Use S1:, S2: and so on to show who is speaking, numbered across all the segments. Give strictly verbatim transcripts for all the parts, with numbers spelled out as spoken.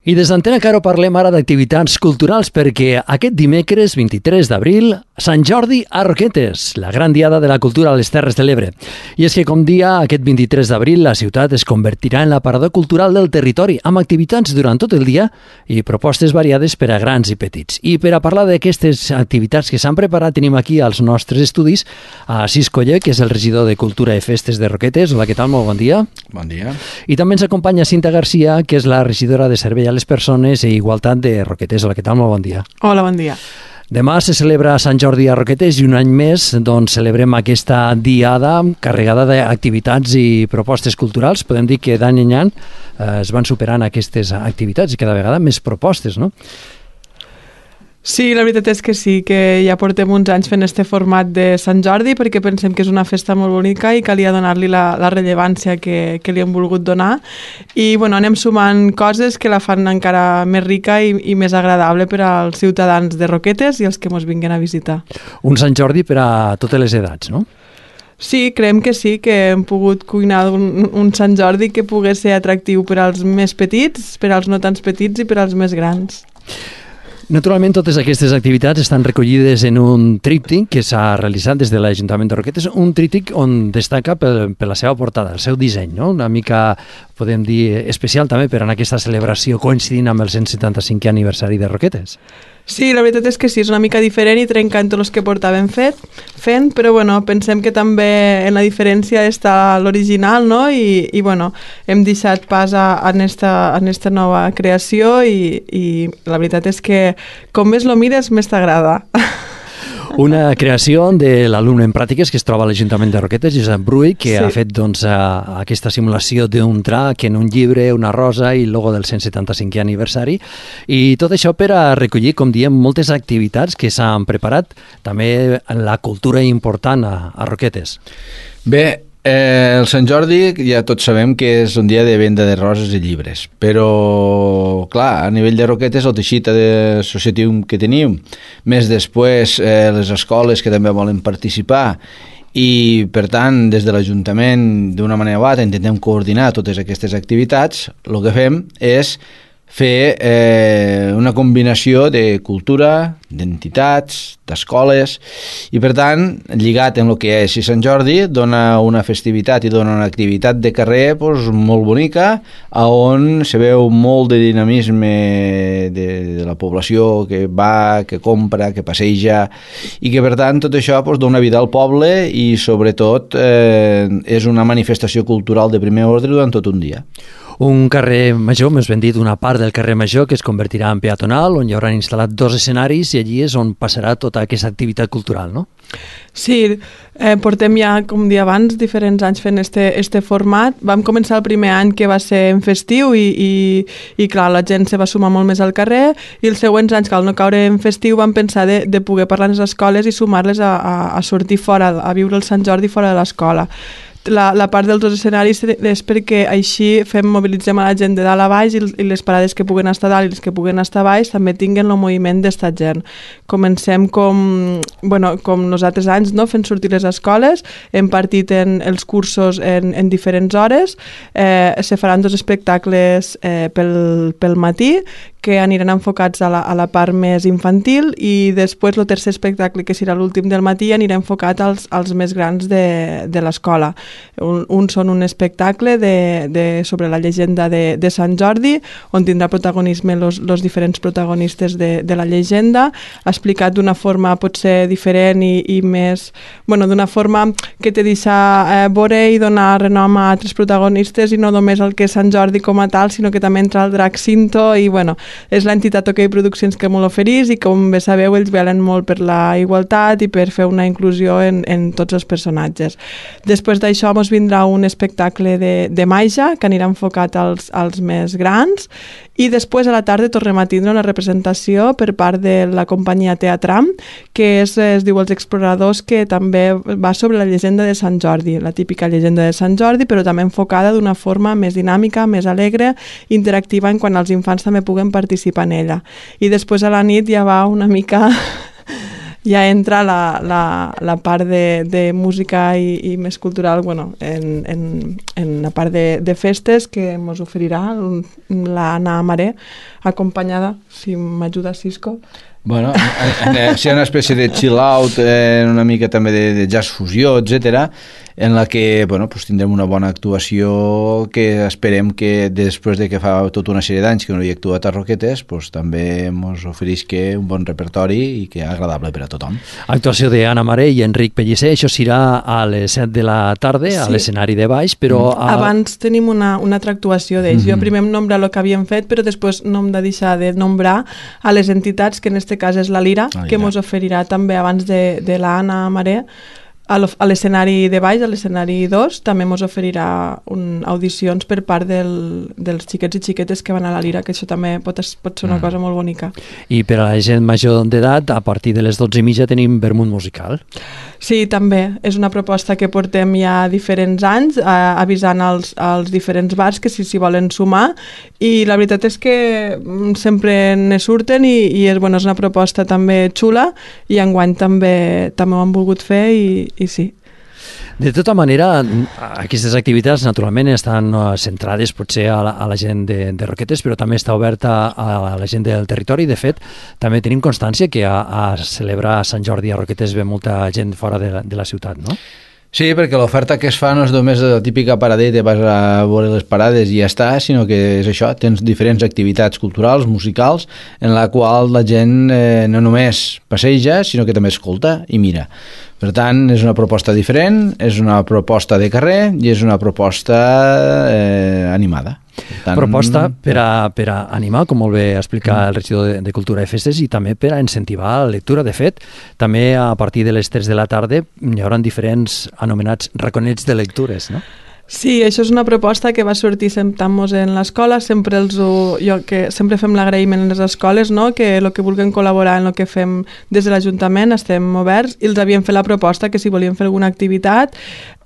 S1: I des d'Antena Caro parlem ara d'activitats culturals perquè aquest dimecres vint-i-tres d'abril, Sant Jordi a Roquetes, la gran diada de la cultura a les Terres de l'Ebre. I és que, com dia, aquest vint-i-tres d'abril la ciutat es convertirà en l'aparador cultural del territori, amb activitats durant tot el dia i propostes variades per a grans i petits. I per a parlar d'aquestes activitats que s'han preparat, tenim aquí als nostres estudis a Cis Coller, que és el regidor de Cultura i Festes de Roquetes. Hola, què tal? Molt bon dia.
S2: Bon dia.
S1: I també ens acompanya Cinta Garcia, que és la regidora de Servei a les Persones i Igualtat de Roquetes. Hola, què tal? Molt bon dia.
S3: Hola, bon dia.
S1: Demà se celebra Sant Jordi a Roquetes i un any més doncs, celebrem aquesta diada carregada d'activitats i propostes culturals. Podem dir que d'any en any eh, es van superant aquestes activitats i cada vegada més propostes, no?
S3: Sí, la veritat és que sí, que ja portem uns anys fent este format de Sant Jordi perquè pensem que és una festa molt bonica i calia donar-li la, la rellevància que, que li hem volgut donar. I bueno, anem sumant coses que la fan encara més rica i, i més agradable per als ciutadans de Roquetes i els que ens vinguen a visitar.
S1: Un Sant Jordi per a totes les edats, no?
S3: Sí, creiem que sí, que hem pogut cuinar un, un Sant Jordi que pogués ser atractiu per als més petits, per als no tants petits i per als més grans.
S1: Naturalment, totes aquestes activitats estan recollides en un tríptic que s'ha realitzat des de l'Ajuntament de Roquetes, un tríptic on destaca per, per la seva portada, el seu disseny, no? Una mica, podem dir, especial també per en aquesta celebració coincidint amb el cent setanta-cinquè aniversari de Roquetes.
S3: Sí, la veritat és que sí, és una mica diferent i trencant tots els que portàvem fet, fent, però bueno, pensem que també en la diferència està l'original, no? I, i bueno, hem deixat pas a, a, esta, a esta nova creació i, i la veritat és que com més lo mires, més t'agrada.
S1: Una creació de l'alumne en pràctiques que es troba a l'Ajuntament de Roquetes, Josep Brull, que sí. ha fet doncs, a, aquesta simulació d'un drac en un llibre, una rosa i el logo del cent setanta-cinquè aniversari. I tot això per a recollir, com diem, moltes activitats que s'han preparat, també la cultura important a, a Roquetes.
S2: Bé, eh, el Sant Jordi ja tots sabem que és un dia de venda de roses i llibres, però clar, a nivell de Roquetes el teixit associatiu que tenim, més després eh, les escoles que també volen participar i per tant des de l'Ajuntament d'una manera o altra intentem coordinar totes aquestes activitats. El que fem és fer eh, una combinació de cultura, d'entitats, d'escoles i per tant, lligat en el que és Sant Jordi, dona una festivitat i dona una activitat de carrer pues, molt bonica, on se veu molt de dinamisme de, de la població que va, que compra, que passeja i que per tant tot això pues, dona vida al poble i sobretot eh, és una manifestació cultural de primer ordre durant tot un dia.
S1: Un carrer major, més ben dit, una part del carrer major que es convertirà en peatonal, on hi hauran instal·lat dos escenaris i allí és on passarà tota aquesta activitat cultural, no?
S3: Sí, eh, portem ja, com dia abans, diferents anys fent este, este format. Vam començar el primer any que va ser en festiu i, i, i clar, la gent se va sumar molt més al carrer i els següents anys, que al no caure en festiu, vam pensar de, de poder parlar en les escoles i sumar-les a, a, a sortir fora, a viure el Sant Jordi fora de l'escola. La, la part dels dos escenaris és perquè així fem, mobilitzem a la gent de dalt a baix i, i les parades que puguen estar dalt i les que puguen estar a baix també tinguen el moviment d'esta gent. Comencem com, bueno, com nosaltres anys, no? Fent sortir les escoles, hem partit en els cursos en, en diferents hores, eh, se faran dos espectacles eh, pel, pel matí que aniran enfocats a la, a la part més infantil i després el tercer espectacle, que serà l'últim del matí, anirà enfocat als, als més grans de, de l'escola. Un, un són un espectacle de, de, sobre la llegenda de, de Sant Jordi, on tindrà protagonisme els diferents protagonistes de, de la llegenda, explicat d'una forma potser diferent i, i més... Bueno, d'una forma que te deixa eh, veure i donar renom a altres protagonistes i no només el que és Sant Jordi com a tal, sinó que també entra el drac Cinto i, bueno, és l'entitat OK Produccions que molt oferís i com bé sabeu ells velen molt per la igualtat i per fer una inclusió en, en tots els personatges. Després d'això ens vindrà un espectacle de, de màgia que anirà enfocat als, als més grans i després a la tarda tornem a tindre una representació per part de la companyia Teatram que és, es diu Els Exploradors, que també va sobre la llegenda de Sant Jordi, la típica llegenda de Sant Jordi, però també enfocada d'una forma més dinàmica, més alegre, interactiva en quan els infants també puguen participar en ella. I després a la nit ja va una mica ja entra la, la, la part de, de música i, i més cultural, bueno, en, en, en la part de, de festes que ens oferirà l'Anna Maré, acompanyada, si m'ajuda Cisco.
S2: Bueno, si hi ha una espècie de chill-out, eh, una mica també de, de jazz fusió, etcètera, en la que bueno, pues tindrem una bona actuació que esperem que després de que fa tota una sèrie d'anys que no hi ha actuat a Roquetes, pues, també ens oferisca un bon repertori i que és agradable per a tothom.
S1: Actuació d'Anna Maré i Enric Pellicer, això serà a les set de la tarda, sí, a l'escenari de baix, però...
S3: Mm. A... Abans tenim una, una altra actuació d'ells. Mm-hmm. Jo primer em nombra el que havíem fet, però després no hem de deixar de nombrar a les entitats, que en aquest cas és la Lira, la Lira. Que ens oferirà també abans de, de l'Anna Maré, a l'escenari de baix, a l'escenari dos, també ens oferirà un, audicions per part del, dels xiquets i xiquetes que van a la Lira, que això també pot, pot ser una mm. cosa molt bonica.
S1: I per a la gent major d'edat, a partir de les dotze i mitja tenim vermut musical.
S3: Sí, també. És una proposta que portem ja diferents anys, eh, avisant als, als diferents bars que si s'hi volen sumar, i la veritat és que sempre ne surten i, i és, bueno, és una proposta també xula, i enguany també, també ho han volgut fer i i sí.
S1: De tota manera, aquestes activitats naturalment estan centrades potser a la, a la gent de, de Roquetes, però també està oberta a la gent del territori. De fet, també tenim constància que a, a celebrar Sant Jordi a Roquetes ve molta gent fora de la, de la ciutat, no?
S2: Sí, perquè l'oferta que es fa no és només la típica paradeta, vas a veure les parades i ja està, sinó que és això, tens diferents activitats culturals, musicals, en la qual la gent eh, no només passeja, sinó que també escolta i mira. Per tant, és una proposta diferent, és una proposta de carrer i és una proposta eh, animada.
S1: Tant... Proposta per a, per a animar, com molt bé explicar el regidor de, de Cultura i Festes, i també per a incentivar la lectura. De fet, també a partir de les tres de la tarda hi haurà diferents anomenats raconets de lectures, no?
S3: Sí, això és una proposta que va sortir sentant-nos en l'escola, sempre els ho, jo que sempre fem l'agraïment en les escoles, no? Que el que vulguin col·laborar en el que fem des de l'Ajuntament estem oberts, i els havíem fet la proposta que si volien fer alguna activitat,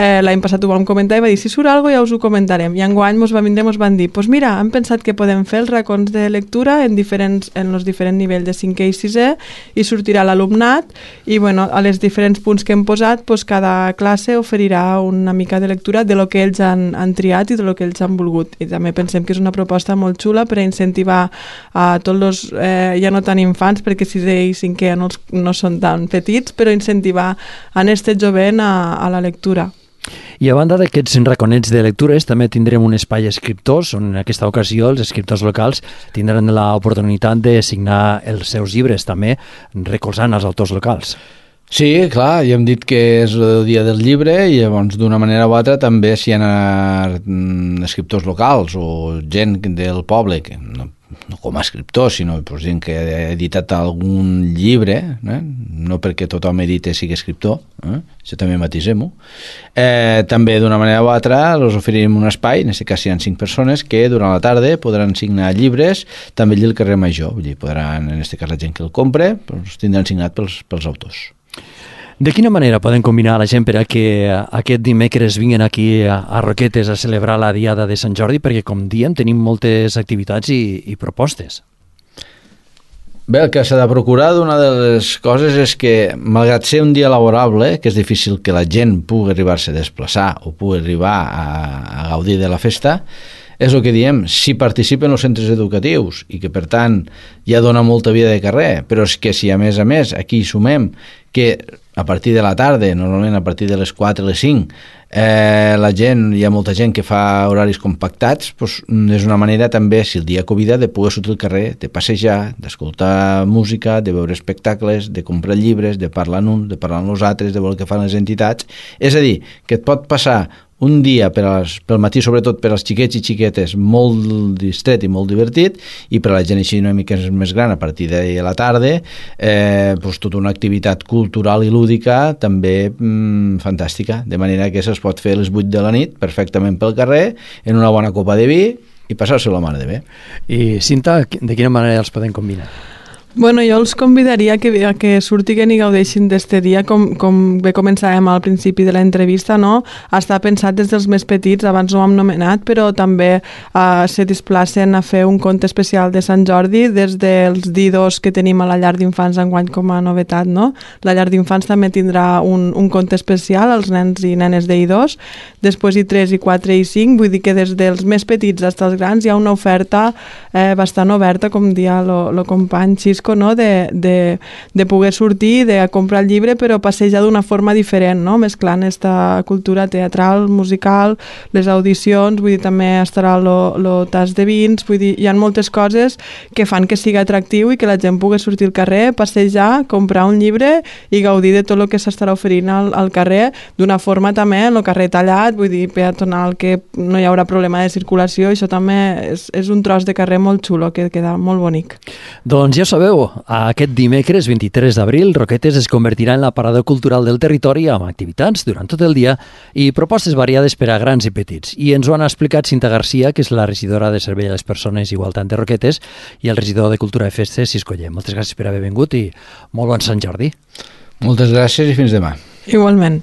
S3: eh, l'any passat ho vam comentar i va dir, si surt alguna cosa ja us ho comentarem, i enguany mos va vindre i mos van dir, pues mira, hem pensat que podem fer els racons de lectura en diferents en els diferents nivells de cinquè i sisè, i sortirà l'alumnat, i bueno, a les diferents punts que hem posat, pues cada classe oferirà una mica de lectura de lo que ells han, han triat i de lo que ells han volgut, i també pensem que és una proposta molt xula per a incentivar a tots els, eh, ja no tan infants, perquè sisè i cinquè no, no són tan petits, però incentivar a este jovent a, a la lectura.
S1: I a banda d'aquests raconets de lectures també tindrem un espai escriptors on en aquesta ocasió els escriptors locals tindran l'oportunitat de signar els seus llibres, també recolzant els autors locals.
S2: Sí, clar, ja hem dit que és el dia del llibre i llavors d'una manera o altra també si hi ha escriptors locals o gent del poble que no, no com a escriptors, sinó pues, gent que ha editat algun llibre, eh? No perquè tothom edite sigui escriptor, eh? Això també matisem-ho. Eh, també d'una manera o altra els oferirem un espai, en aquest cas hi ha cinc persones que durant la tarda podran signar llibres també allà al carrer Major, vull dir, podran, en aquest cas la gent que el compre, doncs, tindran signat pels, pels autors.
S1: De quina manera poden combinar la gent per a que aquest dimecres vinguin aquí a Roquetes a celebrar la Diada de Sant Jordi? Perquè, com diem, tenim moltes activitats i, i propostes.
S2: Bé, el que s'ha de procurar d'una de les coses és que, malgrat ser un dia laborable, que és difícil que la gent pugui arribar-se a desplaçar o pugui arribar a, a gaudir de la festa, és el que diem, si participen els centres educatius i que, per tant, ja dona molta vida de carrer, però és que si, a més a més, aquí sumem que a partir de la tarda, normalment a partir de les quatre o les cinc, eh, la gent, hi ha molta gent que fa horaris compactats, doncs és una manera també, si el dia convida, de poder sortir al carrer, de passejar, d'escoltar música, de veure espectacles, de comprar llibres, de parlar amb uns, de parlar amb els altres, de veure què fan les entitats. És a dir, que et pot passar un dia per als, pel matí, sobretot per als xiquets i xiquetes, molt distret i molt divertit, i per a la gent així una mica més gran, a partir de la tarda, eh, doncs tota una activitat cultural i lúdica també mmm, fantàstica, de manera que se'ls pot fer a les vuit de la nit perfectament pel carrer, en una bona copa de vi, i passar-se la mare de bé.
S1: I Cinta, de quina manera els podem combinar?
S3: Bueno, jo els convidaria que, que surtiguen i gaudeixin d'este dia, com, com bé començàvem al principi de l'entrevista, no? Està pensat des dels més petits, abans no ho hem nomenat, però també eh, se desplacen a fer un conte especial de Sant Jordi des dels didos que tenim a la llar d'infants enguany com a novetat, no? La llar d'infants també tindrà un, un conte especial als nens i nenes d'I dos, després I tres, I quatre i cinc, vull dir que des dels més petits fins als grans hi ha una oferta eh, bastant oberta, com dia el company Xisco, no? de, de, de poder sortir, de comprar el llibre, però passejar d'una forma diferent, no? Mesclant aquesta cultura teatral, musical, les audicions, vull dir, també estarà el tas de vins, vull dir, hi ha moltes coses que fan que sigui atractiu i que la gent pugui sortir al carrer, passejar, comprar un llibre i gaudir de tot el que s'estarà oferint al, al carrer, d'una forma també, en el carrer tallat, vull dir, peatonal, que no hi haurà problema de circulació, això també és, és un tros de carrer molt xulo, que queda molt bonic.
S1: Doncs ja sabeu, aquest dimecres vint-i-tres d'abril, Roquetes es convertirà en la parada cultural del territori amb activitats durant tot el dia i propostes variades per a grans i petits. I ens ho han explicat Cinta Garcia, que és la regidora de Servei a les Persones i Igualtat de Roquetes, i el regidor de Cultura i Festes, Xisco Llem. Moltes gràcies per haver vingut i molt bon Sant Jordi.
S2: Moltes gràcies i fins demà.
S3: Igualment.